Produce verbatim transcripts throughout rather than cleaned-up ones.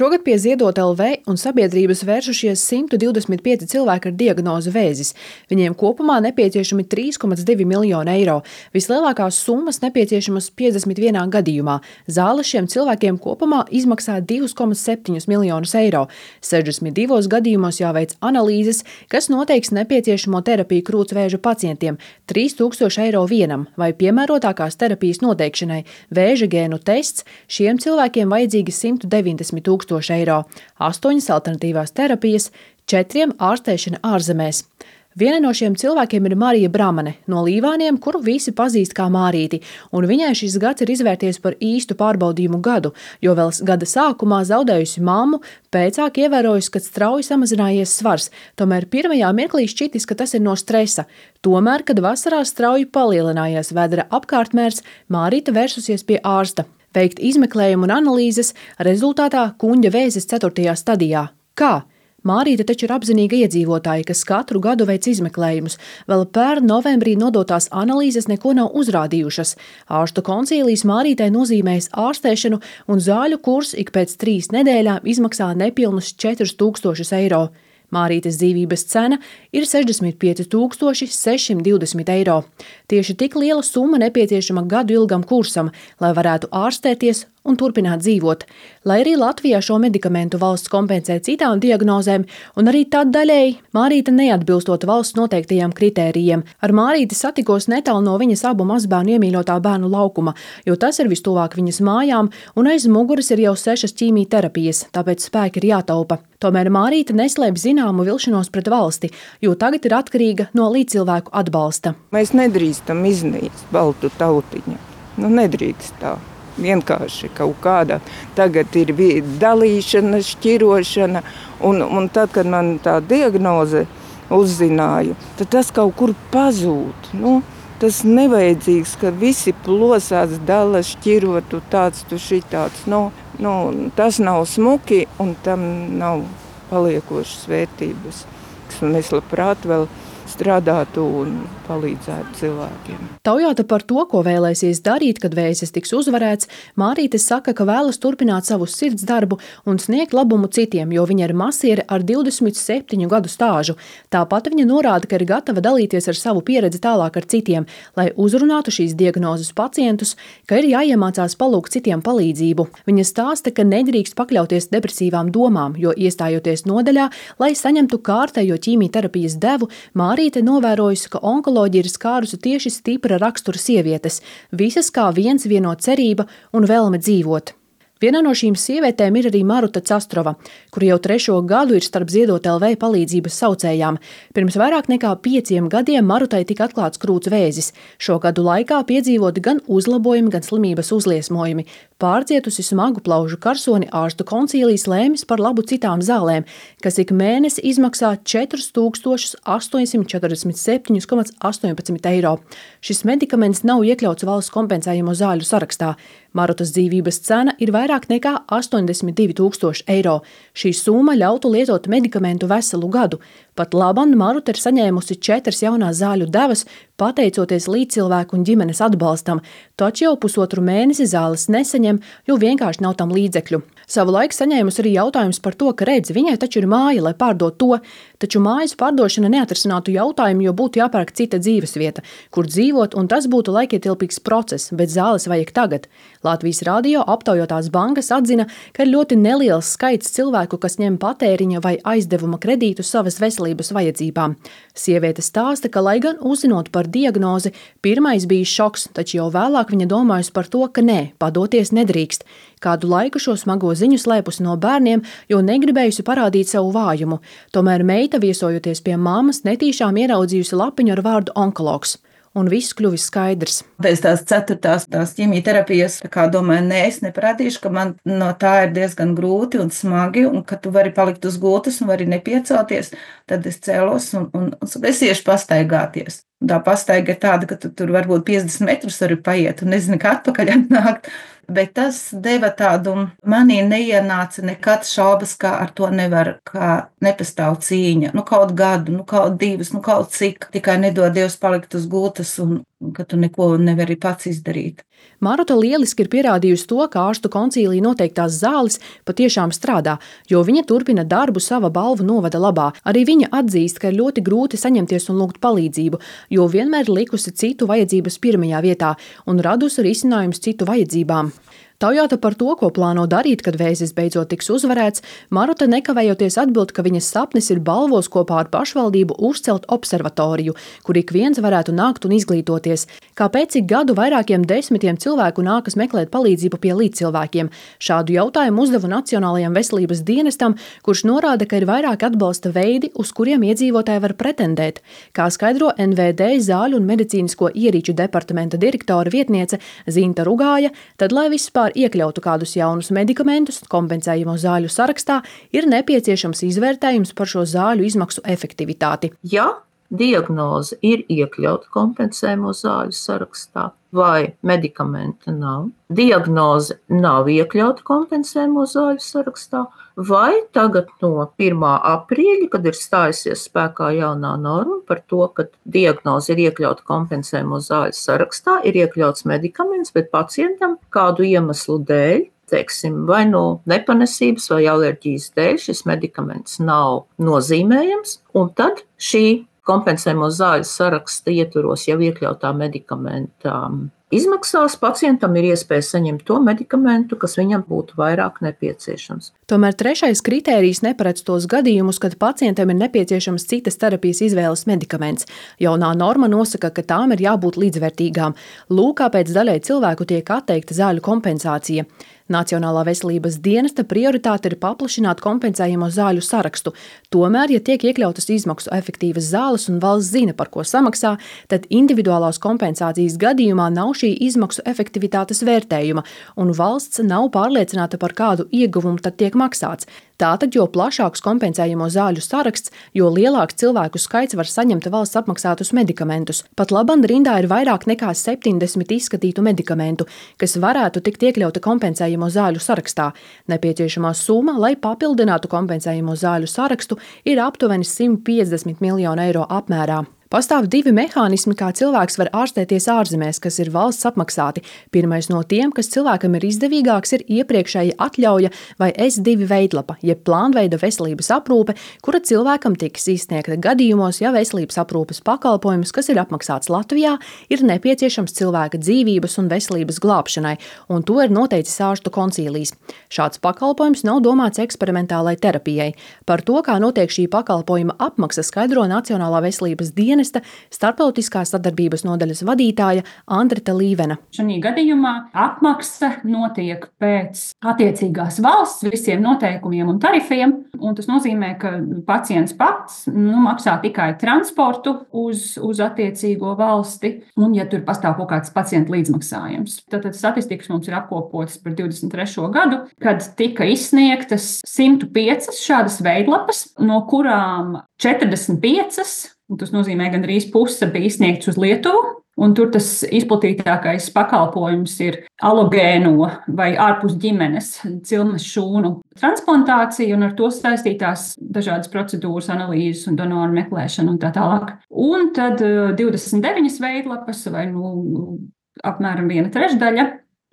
Šogad pie Ziedot L V un sabiedrības vēršušies simt divdesmit pieci cilvēki ar diagnozi vēzis. Viņiem kopumā nepieciešami trīs komats divi miljoni eiro. Vislielākās summas nepieciešamas piecdesmit vienā gadījumā. Zāle šiem cilvēkiem kopumā izmaksā divus komats septiņus miljonus eiro. sešdesmit divos gadījumos jāveic analīzes, kas noteiks nepieciešamo terapiju krūtsvēža pacientiem - trīs tūkstoši eiro vienam, vai piemērotākās terapijas noteikšanai vēža gēnu tests šiem cilvēkiem vajadzīgi simt deviņdesmit tūkstoši eiro, astoņas alternatīvās terapijas, četriem ārstēšana ārzemēs. Viena no šiem cilvēkiem ir Marija Bramane no Līvāniem, kuru visi pazīst kā Mārīti, un viņai šis gads ir izvērties par īstu pārbaudījumu gadu, jo vēl gada sākumā zaudējusi mammu, pēcāk ievērojusi, ka strauji samazinājies svars, tomēr pirmajā mirklī šķitis, ka tas ir no stresa. Tomēr, kad vasarā strauji palielinājies vēdera apkārtmērs, Mārīta vērsusies pie ārsta. Veikt izmeklējumu un analīzes, rezultātā kuņģa vēzis ceturtajā stadijā. Kā? Mārīte taču ir apzinīga iedzīvotāja, kas katru gadu veic izmeklējumus. Vēl pērn novembrī nodotās analīzes neko nav uzrādījušas. Ārstu koncīlijas Mārītei nozīmējas ārstēšanu, un zāļu kurs ik pēc trīs nedēļām izmaksā nepilnus četrus tūkstošus eiro. Mārītes dzīvības cena ir sešdesmit pieci tūkstoši sešsimt divdesmit eiro. Tieši tik liela summa nepieciešama gadu ilgam kursam, lai varētu ārstēties un turpināt dzīvot. Lai arī Latvijā šo medikamentu valsts kompensē citām diagnozēm, un arī tad daļēji Mārīte neatbilstot valsts noteiktajiem kritērijiem. Ar Mārīti satikos netālu no viņas abu mazbērnu iemīļotā bērnu laukuma, jo tas ir vistuvāk viņas mājām, un aiz muguras ir jau sešas ķīmijterapijas, tāpēc spēki ir jātaupa. Tomēr Mārīte neslēp zināmu vilšanos pret valsti, jo tagad ir atkarīga no līdzcilvēku atbalsta. Mēs nedrīkstam iznīst baltu tautiņu. Nu, nedrīkst tā. Vienkārši kaut kāda. Tagad ir dalīšana, šķirošana, un, un tad, kad man tā diagnoze uzzināju, tad tas kaut kur pazūd. Nu, tas nevajadzīgs, ka visi plosās, dala, šķiro, tu tāds, tu šitāds. Nu, nu, tas nav smuki, un tam nav paliekošas vērtības. Mēs labprāt vēl strādātu un palīdzētu cilvēkiem. Taujāta par to, ko vēlēsies darīt, kad vēzis tiks uzvarēts, Mārīte saka, ka vēlas turpināt savu sirds darbu un sniegt labumu citiem, jo viņa ir masiere ar divdesmit septiņu gadu stāžu. Tāpat viņa norāda, ka ir gatava dalīties ar savu pieredzi tālāk ar citiem, lai uzrunātu šīs diagnozes pacientus, ka ir jāiemācās palūgt citiem palīdzību. Viņa stāsta, ka nedrīkst pakļauties depresīvām domām, jo iestājoties nodaļā, lai saņemtu kārtējo ķīmijterapijas devu, Mārīte novērojusi, ka onkoloģija ir skārusi tieši stipra rakstura sievietes, visas kā viens vieno cerība un vēlme dzīvot. Viena no šīm sievietēm ir arī Maruta Castrova, kura jau trešo gadu ir starp Ziedot L V palīdzības saucējām. Pirms vairāk nekā pieciem gadiem Marutai tika atklāts krūts vēzis. Šo gadu laikā piedzīvoti gan uzlabojumi, gan slimības uzliesmojumi. Pārcietusi smagu plaužu karsoni, ārstu koncīlijas lēmis par labu citām zālēm, kas ik mēnesi izmaksā četrus tūkstošus astoņsimt četrdesmit septiņus komats astoņpadsmit eiro. Šis medikaments nav iekļauts valsts kompensējamo zāļu sarakstā. Marutas dzīvības cena ir vairāk nekā astoņdesmit divi tūkstoši eiro. Šī summa ļautu lietot medikamentu veselu gadu. Pat laban Maruta ir saņēmusi četras jaunās zāļu devas, pateicoties līdzcilvēku un ģimenes atbalstam, taču jau pusotru mēnesi zāles nesaņem, jo vienkārši nav tam līdzekļu. Savu laiku saņēmusi arī jautājums par to, ka redz, viņai taču ir māja, lai pārdot to, taču mājas pārdošana neatrisinātu jautājumu, jo būtu jāpērk cita dzīvesvieta, kur dzīvot, un tas būtu laikietilpīgs process, bet zāles vajag tagad. Latvijas radio aptaujotās bankas atzina, ka ir ļoti neliels skaits cilvēku, kas ņem patēriņa vai aizdevuma kredītu savas veselības vajadzībām. Sieviete stāsta, ka, lai gan uzzinot par diagnozi, pirmais bija šoks, taču jau vēlāk viņa domājusi par to, ka nē, padoties nedrīkst. Kādu laiku šo smago ziņu slēpusi no bērniem, jo negribējusi parādīt savu vājumu. Tomēr meita, viesojoties pie mammas, netīšām ieraudzījusi lapiņu ar vārdu onkologs. Un viss kļuvis skaidrs. Pēc tās ceturtās tās ķīmijterapijas, tā kā domāju, nē, es neparādīšu, ka man no tā ir diezgan grūti un smagi, un ka tu vari palikt uz gultas un vari nepiecelties, tad es cēlos un, un, un es iešu pastaigāties. Tā pastaiga ir tāda, ka tu tur varbūt piecdesmit metrus vari paiet un nezinu, kā atpakaļ atnākt. Bet tas deva tādu, manī neienāca nekad šaubas, kā ar to nevar, kā nepastāv cīņa. Nu kaut gadu, nu kaut divas, nu kaut cik, tikai nedod Dievs palikt uz gultas un ka tu neko nevari pats izdarīt. Maruta lieliski ir pierādījusi to, ka ārstu koncīlī noteiktās zāles patiešām strādā, jo viņa turpina darbu sava balvu novada labā. Arī viņa atzīst, ka ir ļoti grūti saņemties un lūgt palīdzību, jo vienmēr likusi citu vajadzības pirmajā vietā un radusi risinājumus citu vajadzībām. Taujāta par to, ko plāno darīt, kad vēzis beidzot tiks uzvarēts, Maruta nekavējoties atbild, ka viņas sapnis ir Balvos kopā ar pašvaldību uzcelt observatoriju, kur ik viens varētu nākt un izglītoties. Kāpēc ik gadu vairākiem desmitiem cilvēku nākas meklēt palīdzību pie līdzcilvēkiem? Šādu jautājumu uzdevu Nacionālajam veselības dienestam, kurš norāda, ka ir vairāk atbalsta veidi, uz kuriem iedzīvotāji var pretendēt. Kā skaidro N V D zāļu un medicīnisko ierīču departamenta direktora vietniece Zinta Rugāja, tad, lai vispār iekļautu kādus jaunus medikamentus kompensējamo zāļu sarakstā, ir nepieciešams izvērtējums par šo zāļu izmaksu efektivitāti. Ja diagnoze ir iekļauta kompensējamo zāļu sarakstā vai medikamenta nav, diagnoze nav iekļauta kompensējamo zāļu sarakstā, vai tagad no pirmā aprīļa, kad ir stājusies spēkā jaunā norma par to, ka diagnoze ir iekļauta kompensējamo zāļu sarakstā, ir iekļauts medikaments, bet pacientam kādu iemeslu dēļ, teiksim, vai no nepanesības vai alerģijas dēļ šis medikaments nav nozīmējams, un tad šī kompensējamo zāļu saraksta ietvaros jau iekļautā medikamenta izmaksās pacientam ir iespēja saņemt to medikamentu, kas viņam būtu vairāk nepieciešams. Tomēr trešais kritērijs neparedz tos gadījumus, kad pacientam ir nepieciešams citas terapijas izvēles medikaments. Jaunā norma nosaka, ka tām ir jābūt līdzvērtīgām. Lūk, kāpēc daļai cilvēku tiek atteikta zāļu kompensācija. Nacionālā veselības dienesta prioritāte ir paplašināt kompensējamo zāļu sarakstu. Tomēr, ja tiek iekļautas izmaksu efektīvas zāles un valsts zina, par ko samaksā, tad individuālās kompensācijas gadījumā nav šī izmaksu efektivitātes vērtējuma, un valsts nav pārliecināta, par kādu ieguvumu tad tiek maksāts. Tātad, jo plašāks kompensējamo zāļu saraksts, jo lielāks cilvēku skaits var saņemt valsts apmaksātus medikamentus. Pat labam rindā ir vairāk nekā septiņdesmit izskatītu medikamentu, kas varētu tikt iekļauta kompensējamo zāļu sarakstā. Nepieciešamā summa, lai papildinātu kompensējamo zāļu sarakstu, ir aptuveni simt piecdesmit miljonu eiro apmērā. Pastāv divi mehānismi, kā cilvēks var ārstēties ārzemēs, kas ir valsts apmaksāti. Pirmais no tiem, kas cilvēkam ir izdevīgāks, ir iepriekšēja atļauja vai S divi veidlapa, jeb plānveida veselības aprūpe, kura cilvēkam tiks izsniegta gadījumos, ja veselības aprūpes pakalpojums, kas ir apmaksāts Latvijā, ir nepieciešams cilvēka dzīvības un veselības glābšanai, un to ir noteicis ārstu koncīlijs. Šāds pakalpojums nav domāts eksperimentālai terapijai. Par to, kā notiek šī pakalpojuma apmaksa, skaidro Nacionālā veselības dienesta starptautiskās sadarbības nodaļas vadītāja Andreta Līvena. Šajā gadījumā apmaksa notiek pēc attiecīgās valsts visiem noteikumiem un tarifiem, un tas nozīmē, ka pacients pats nu, maksā tikai transportu uz, uz attiecīgo valsti, un ja tur pastāv kaut kāds pacienta līdzmaksājums. Tātad statistikas mums ir apkopotas par divdesmit trešo gadu, kad tika izsniegtas simt piecas šādas veidlapas, no kurām četrdesmit piecas, un tas nozīmē, ka gandrīz puse bija izsniegts uz Lietuvu, un tur tas izplatītākais pakalpojums ir alogēno vai ārpus ģimenes cilmes šūnu transplantācija, un ar to saistītās dažādas procedūras, analīzes un donoru meklēšana un tā tālāk. Un tad divdesmit deviņas veidlapas, vai nu apmēram viena trešdaļa,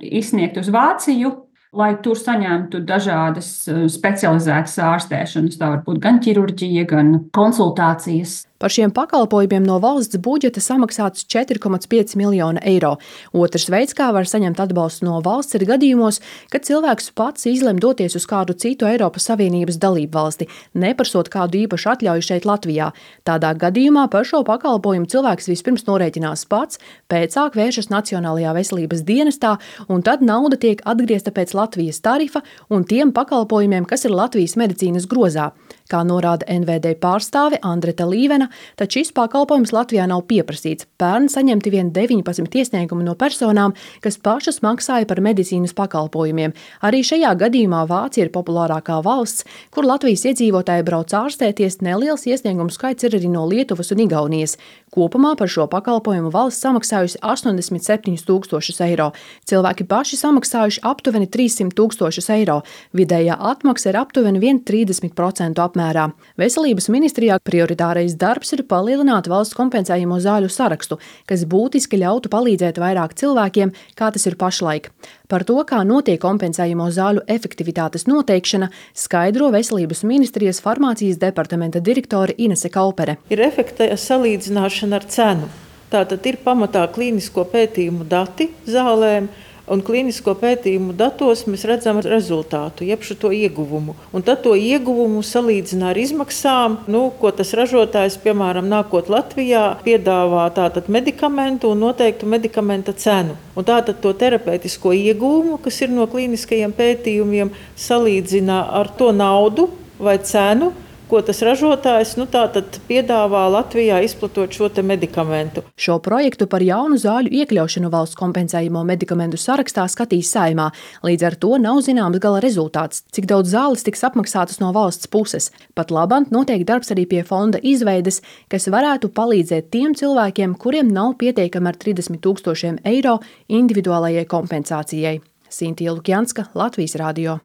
izsniegt uz Vāciju, lai tur saņemtu dažādas specializētas ārstēšanas. Tā var būt gan ķirurģija, gan konsultācijas. Par šiem pakalpojumiem no valsts budžeta samaksāts četri komats pieci miljoni eiro. Otrs veids, kā var saņemt atbalstu no valsts, ir gadījumos, kad cilvēks pats izlem doties uz kādu citu Eiropas Savienības dalību valsti, neprasot kādu īpašu atļauju šeit Latvijā. Tādā gadījumā par šo pakalpojumu cilvēks vispirms norēķinās pats, pēcāk vēršas Nacionālajā veselības dienestā, un tad nauda tiek atgriezta pēc Latvijas tarifa un tiem pakalpojumiem, kas ir Latvijas medicīnas grozā. Kā norāda N V D pārstāve Andreta Līvena, tad šis pakalpojums Latvijā nav pieprasīts. Pērn saņemti vien deviņpadsmit iesniegumi no personām, kas pašas maksāja par medicīnas pakalpojumiem. Arī šajā gadījumā Vācija ir populārākā valsts, kur Latvijas iedzīvotāji brauc ārstēties. Neliels iesniegumu skaits ir arī no Lietuvas un Igaunijas. Kopumā par šo pakalpojumu valsts samaksājusi astoņdesmit septiņus tūkstošus eiro. Cilvēki paši samaksājuši aptuveni trīssimt tūkstošus eiro. Vidējā atmaksa ir aptuveni viens komats trīsdesmit procenti apmērā. apmērā. Veselības ministrijā prioritārais darbs ir palielināt valsts kompensējamo zāļu sarakstu, kas būtiski ļautu palīdzēt vairāk cilvēkiem, kā tas ir pašlaik. Par to, kā notiek kompensējamo zāļu efektivitātes noteikšana, skaidro Veselības ministrijas farmācijas departamenta direktore Inese Kaupere. Ir efekta salīdzināšana ar cenu. Tātad ir pamatā klīnisko pētījumu dati zālēm, un klīnisko pētījumu datos mēs redzam rezultātu, jeb šo ieguvumu. Un tad to ieguvumu salīdzina ar izmaksām, nu, ko tas ražotājs, piemēram, nākot Latvijā, piedāvā tātad medikamentu un noteiktu medikamenta cenu. Un tātad to terapeitisko ieguvumu, kas ir no klīniskajiem pētījumiem, salīdzina ar to naudu vai cenu, ko tas ražotājs nu, tātad piedāvā Latvijā izplatot šo te medikamentu. Šo projektu par jaunu zāļu iekļaušanu valsts kompensējamo medikamentu sarakstā skatīs Saeimā. Līdz ar to nav zināms gala rezultāts, cik daudz zāles tiks apmaksātas no valsts puses. Pat labāk notiek darbs arī pie fonda izveides, kas varētu palīdzēt tiem cilvēkiem, kuriem nav pietiekami ar trīsdesmit tūkstošiem eiro individuālajai kompensācijai. Sintija Lukjanska, Latvijas radio.